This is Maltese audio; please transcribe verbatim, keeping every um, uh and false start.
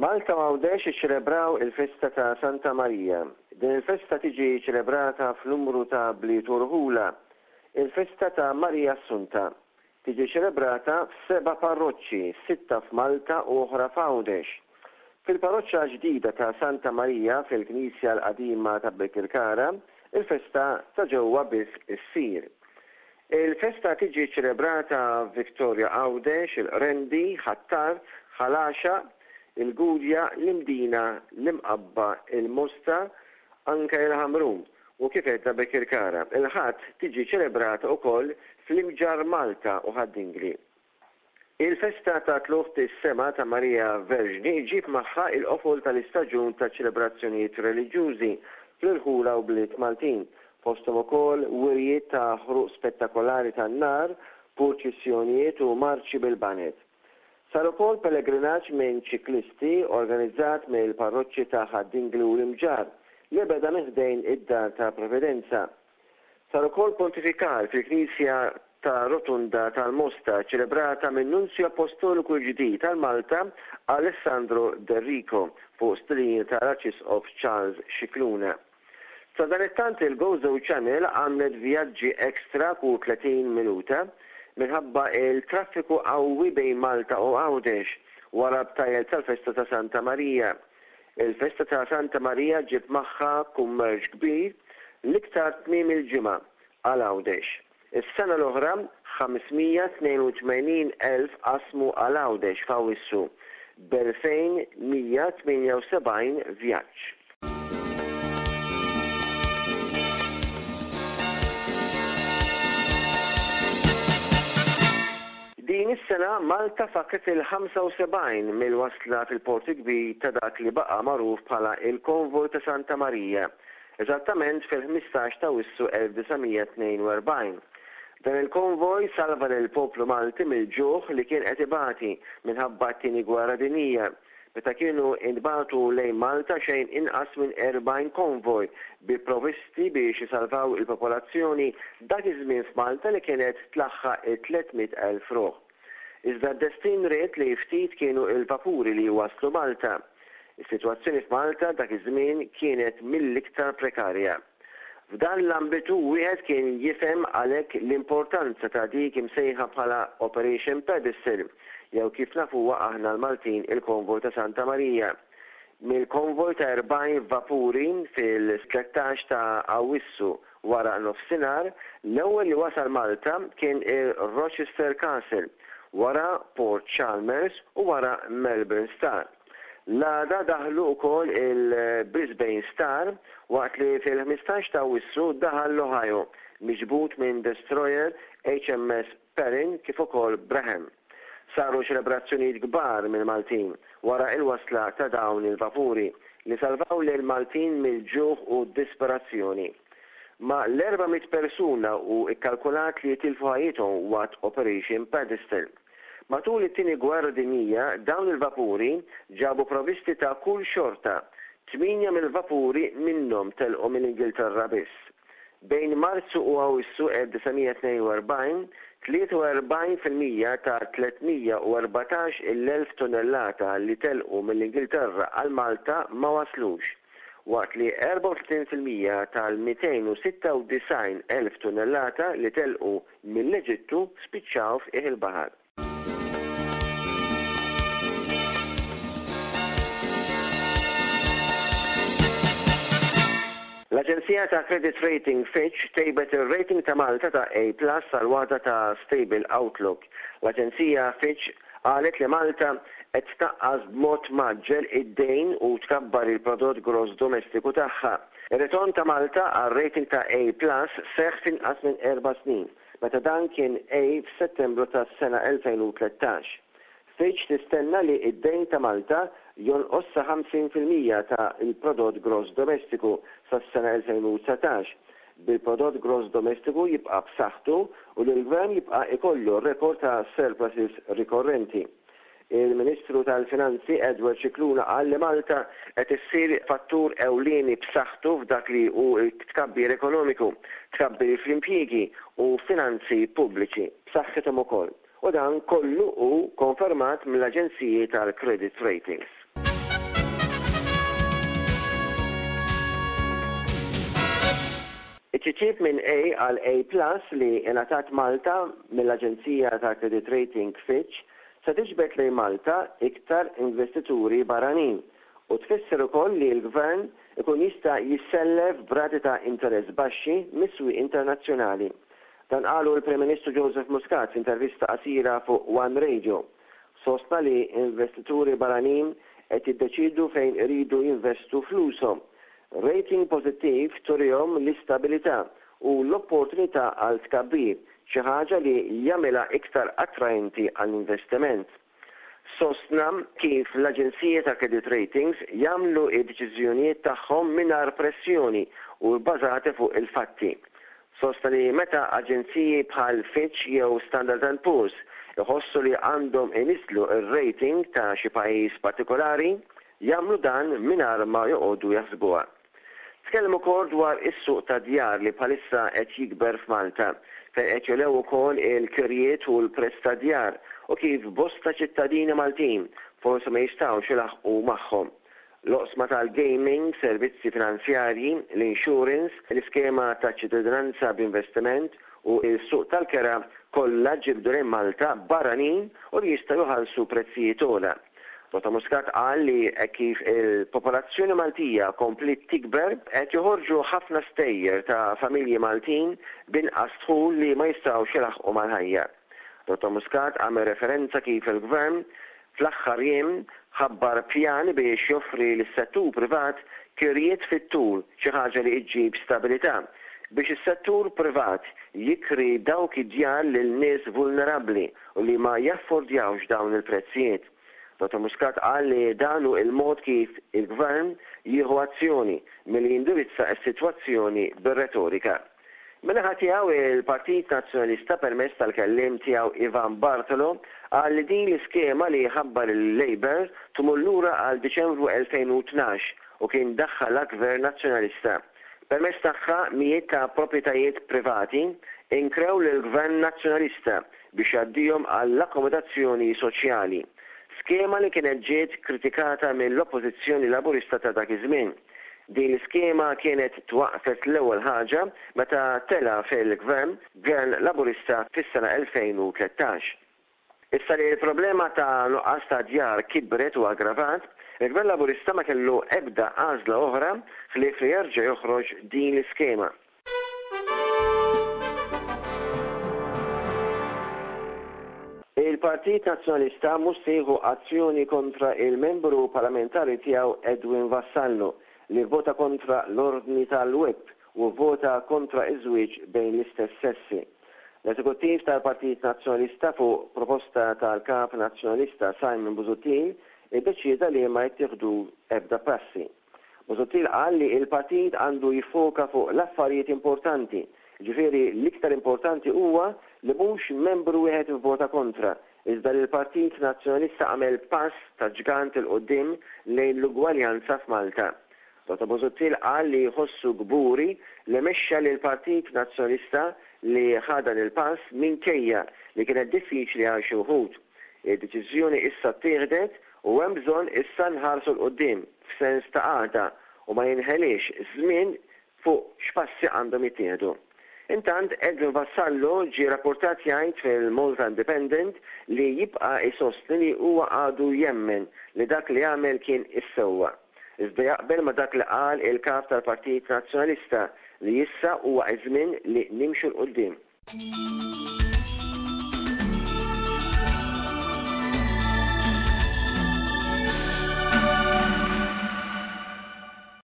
Malta u Għawdex iċċelebraw il-festa ta' Santa Marija. Din il-festa tiġi ċelebrata f'numru ta' bliet u rħula. Il-festa ta' Marija Assunta tiġi ċelebrata f'seba' parroċċi, sitta f'Malta u oħra f'Għawdex. Fil-parroċċa ġdida ta' Santa Marija fil-Knisja l-qadima ta' Birkirkara, il-festa ta' ġewwa biss issir. Il-festa tiġi ċelebrata f'Victoria Għawdex, il-Qrendi, Ħ'Attard, Ħal Għaxaq, il-Gudja, l-Imdina, l-Imqabba, il-Mosta, anke il-Ħamrun u kif għedna Birkirkara. Il-Ħadd tiġi ċelebrata wkoll fl-Imġarr Malta u Ħad-Dingli. Il-festa ta' Tlugħ is-Sema ta' Marija Verġni ġġib magħha il-qofol tal-istaġun ta' ċelebrazzjonijiet reliġjużi fl-irħula u bliet Maltin, fosthom ukoll wirjiet ta' ħruq spettakolari tan-nar, purċissjonijiet u marċi bil-baned. Sar ukoll pellegrinaġġ minn ċiklisti organizzat mill-parroċċi ta' Ħad-Dingli u l-Imġarr li beda minn ħdejn id-Dar ta' Providenza. Sar ukoll pontifikal fil-Knisja ta' Rotunda tal-Mosta ċelebrata minn Nunzju Apostoliku l-ġdid tal-Malta Alessandro D'Errico fuq stedina tal-Arċisqof Charles Scicluna. Sadanittant il-Gozo Channel għamlet vjaġġi ekstra kull tletin minuta minħabba il-traffiku qawwi bejn Malta u Għawdex wara btajjel tal-festa ta' Santa Marija. Il-festa ta' Santa Marija ġib magħha kummerċ kbir l-iktar tmiem il-ġimgħa għal Għawdex. Is-sena l-oħra ħames mija tnejn u tmenin elf qasmu għal Għawdex f'Awwissu b'elfejn mija tmienja u sebgħin vjaġġ. Din is-sena Malta fakret il-ħamsa u sebgħin mill-wasla fil-Port il-Kbir ta' dak li baqa' magħruf bħala il-Konvoj ta' Santa Marija, eżattament fil-ħmistax ta' Awwissu elf disa' mija tnejn u erbgħin. Dan il-konvoj salva lill-poplu Malti mill-ġuħ li kien qed ibati minħabba t-Tieni Gwerra Dinjija, meta kienu intbagħtu lejn Malta xejn inqas minn erbgħin konvoj bi provvisti biex isalvaw il-popolazzjoni dak iż-żmien f'Malta li kienet tlaħħaq it-tliet mitt elf ruħ. Iżda d-destin ried li ftit kienu il-vapuri li waslu Malta. Is-sitwazzjoni f'Malta dak iż-żmien kienet mill-iktar prekarja. F'dan l-ambitu wieħed kien jifhem għalhekk l-importanza ta' dik imsejħa bħala Operation Pedestal, jew kif nafuha aħna l-Maltin il-Konvoj ta' Santa Marija. Mill-konvoj ta' erbgħin vapuri fil-tlettax ta' Awwissu wara nofsinhar, l-ewwel li wasal Malta kien il-Rochester Castle, wara Port Chalmers u wara Melbourne Star. L-għada daħlu wkoll il-Brisbane Star waqt li fil-ħmistax ta' Awwissu daħal l-Ohio miġbud minn destroyer H M S Perrin kif ukoll Braham. Saru ċelebrazzjonijiet kbar mill-Maltin wara il-wasla ta' dawn il-vapuri li salvaw lil Maltin mill-ġuħ u disperazzjoni. Ma l-erba' mitt persuna u ikkalkulat li jitilfu ħajjithom waqt Operation Pedestal. Matul it-tieni gwerra dinjija dawn il-vapuri ġabu provvisti ta' kull xorta, tmienja mill-vapuri minnhom telqu mill-Ingilterra biss. Bejn Marzu u Awwissu elf disa' mija tnejn u erbgħin, tlieta u erbgħin fil-mija ta' tliet mija u erbatax il-elf tonnellata li telqu mill-Ingilterra għal Malta ma waslux, waqt li erbgħa u tletin fil-mija tal-mitejn u sitta u disgħin elf tonnellata li telqu mill-Eġittu spiċċaw f'qiegħ il-baħar. L-Aġenzija ta' Credit Rating Fitch tejbet ir-rating ta' Malta ta' A plus għal waħda ta' Stable Outlook. L-Aġenzija Fitch qalet li Malta qed tnaqqas b'mod mgħaġġel id-dejn u tkabbar il-prodott gross domestiku tagħha. Ir-ritorn ta' Malta għal rating ta' A plus seħħ f'inqas minn erba' snin, meta dan kien A f'Settembru tas-sena elfejn u tlettax. Fitch tistenna li id-dejn ta' Malta jonqos sa ħamsin fil-mija ta' il-prodott gross domestiku sas-sena elfejn u dsatax, bil-prodott gross domestiku jibqa' b'saħħtu u li l-gvern jibqa' ikollu rekord ta' surpluses rikorrenti. Il-Ministru tal-Finanzi Edward Scicluna qal li Malta qed issir fattur ewlieni b'saħħtu f'dak li hu tkabbir ekonomiku, tkabbir fl-impjiegi u finanzi pubbliċi b'saħħithom ukoll. U dan kollu hu konfermat mill-aġenziji tal-credit ratings. It-titjib minn A għal A plus li ingħatat Malta mill-Aġenzija ta' Credit Rating Fitch se tiġbed lejn Malta iktar investituri barranin u tfisser ukoll li l-Gvern ikun jista' jissellef b'rati ta' interess baxxi mis-swieq internazzjonali. Dan qalu l-Prim Ministru Joseph Muscat f'intervista qasira fuq One Radio. Sostna li investituri barranin qed jiddeċidu fejn iridu jinvestu flushom. Rating pożittiv turihom l-istabilità u l-opportunità għal tkabbir, xi ħaġa li jagħmilha iktar attraenti għall-investiment. Sostna kif l-aġenziji ta' credit ratings jagħmlu d-deċiżjonijiet tagħhom mingħajr pressjoni u bbażati fuq il-fatti. Sostna li meta aġenziji bħal Fitch jew Standard and Poor's iħossu li għandhom iniżżlu r-rating ta' xi pajjiż partikolari, jagħmlu dan mingħajr ma joqogħdu jaħsbuha. Tkellem ukoll dwar is-suq tad-djar li bħalissa qed jikber f'Malta, fejn qed jogħlew ukoll il-kirjiet u l-prezz tad-djar u kif bosta ċittadini Maltin forsi ma jistgħux ilaħħqu magħhom. L-oqsma tal-gaming, servizzi finanzjarji, l-insurance, l-iskema ta' ċittadinanza b'investiment u s-suq tal-kera kollha ġibdu lejn Malta barranin u li jistgħu jħallsu prezzijiet ogħla. Dottor Muscat qal li hekk kif il-popolazzjoni Maltija kompliet tikber qed joħorġu ħafna stejjer ta' familji Maltin b'inqas dħul li ma jistgħux ilaħħqu mal-ħajja. Dottor Muscat għamel referenza kif il-Gvern fl-aħħar jiem ħabbar pjan biex joffri lis-settur privat kirjiet fit-tul, xi ħaġa li ġġib stabilità biex is-settur privat jikri dawk id-djar lil nies vulnerabbli u li ma jaffordjawx dawn il-prezzijiet. Dottor Muscat qal li dan hu il-mod kif il-Gvern jieħu azzjoni milli jindirizza s-sitwazzjoni bir-retorika. Min-naħa tiegħu il-Partit Nazzjonalista permezz tal-kelliem tiegħu Ivan Bartolo qal li din l-iskema li ħabbar il-Labour tmur lura għal Diċembru elfejn u tnax u kien daħħalha Gvern Nazzjonalista. Permezz tagħha mijiet ta' proprjetajiet privati inkrew lill-Gvern Nazzjonalista biex jgħaddihom għall-akkomodazzjoni soċjali. Skema li kienet ġiet kritikata mill-Oppożizzjoni Laburista ta' dak iż-żmien. Din l-iskema kienet twaqfet l-ewwel ħaġa meta tela' fil-Gvern Gvern Laburista fis-sena elfejn u tlettax. Issa li l-problema ta' nuqqas ta' djar kibret u aggravat, il-Gvern Laburista ma kellu ebda għażla oħra ħlief li jerġa' joħroġ din l-iskema. Il-Partit Nazzjonalista mhux se jieħu azzjoni kontra il-membru parlamentari tiegħu Edwin Vassallo li vvota kontra l-ordni tal-whip u vvota kontra iż-żwieġ bejn l-istess sessi. L-Eżekuttiv tal-Partit Nazzjonalista fuq proposta tal-Kap Nazzjonalista Simon Busuttil iddeċieda li ma jittieħdu ebda passi. Busuttil qal li l-partit għandu jiffoka fuq l-affarijiet importanti, ġifieri l-iktar importanti huwa li mhux membru wieħed ivvota kontra, iżda li l-Partit Nazzjonalista għamel pass ta' ġgant 'il quddiem lejn l-ugwaljanza f'Malta. Dottor Busuttil qal li jħossu kburi li mexxa lill-Partit Nazzjonalista li ħa dan il-pass minkejja li kienet diffiċli għal xi wħud. Id-deċiżjoni issa ttieħdet u hemm bżonn issa nħarsu 'l quddiem f'sens ta' għaqda u ma jinħeliex żmien fuq x'passi għandhom jittieħdu. Intant Edwin Vassallo ġie rapportat jgħid fil-Malta Independent li jibqa' jsostni li huwa għadu jemmen li dak li għamel kien is-sewwa. Iżda jaqbel ma dak li qal il-kap tal-Partit Nazzjonalista li issa huwa iż-żmien li nimxu 'l quddiem.